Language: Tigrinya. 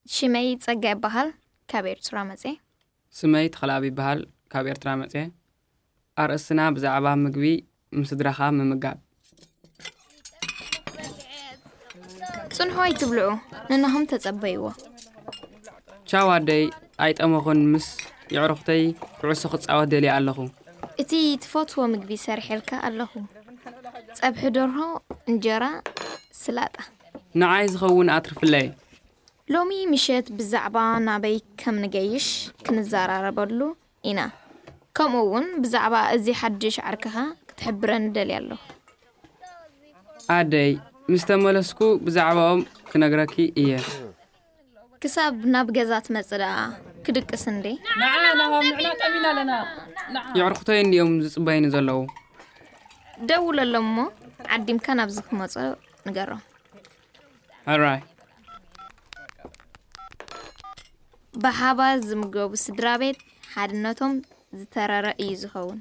ሽመይ ጸጋ ይበሃል። ካብ ኤርትራ መጽየ። ስመይ ተኽለኣብ ይበሃል። ካብ ኤርትራ መጽየ። ኣርእስትና ብዛዕባ ምግቢ ምስ ስድራኻ ምምጋብ። ጽንሑ ኣይትብልዑ፣ ንናኹም ተጸበይዎ። ቻው ኣደይ፣ ኣይጠመኹን። ምስ የዕሩኽተይ ኩዕሶ ክጻወት ደልየ ኣለኹ። እቲ ትፈትዎ ምግቢ ሰሪሐልካ ኣለኹ። ጸብሒ ደርሆ፣ እንጀራ፣ ስላጣ። ንዓይ ዝኸውን ኣትርፍለይ። ሎሚ ምሸት ብዛዕባ ናበይ ከም ንገይሽ ክንዘራረበሉ ኢና። ከምኡ እውን ብዛዕባ እዚ ሓድሽ ዓርክኻ ክትሕብረኒ ደልየ ኣለኹ። ኣደይ፣ ምስ ተመለስኩ ብዛዕባኦም ክነግረኪ እየ። ክሳብ ናብ ገዛ ትመጽእ ደኣ ክድቅስ እንዴ? ንዓ ናባም ንዕና ጠሚና ኣለና። ንዓ የዕርኽቶይ እንዲኦም ዝጽበይኒ ዘለዉ። ደውለሎም እሞ ዓዲምካ ናብዚ ክመጹ ንገሮም። ሕራይ። ብሓባር ዝምገቡ ስድራ ቤት ሓድነቶም ዝተረረ እዩ ዝኸውን።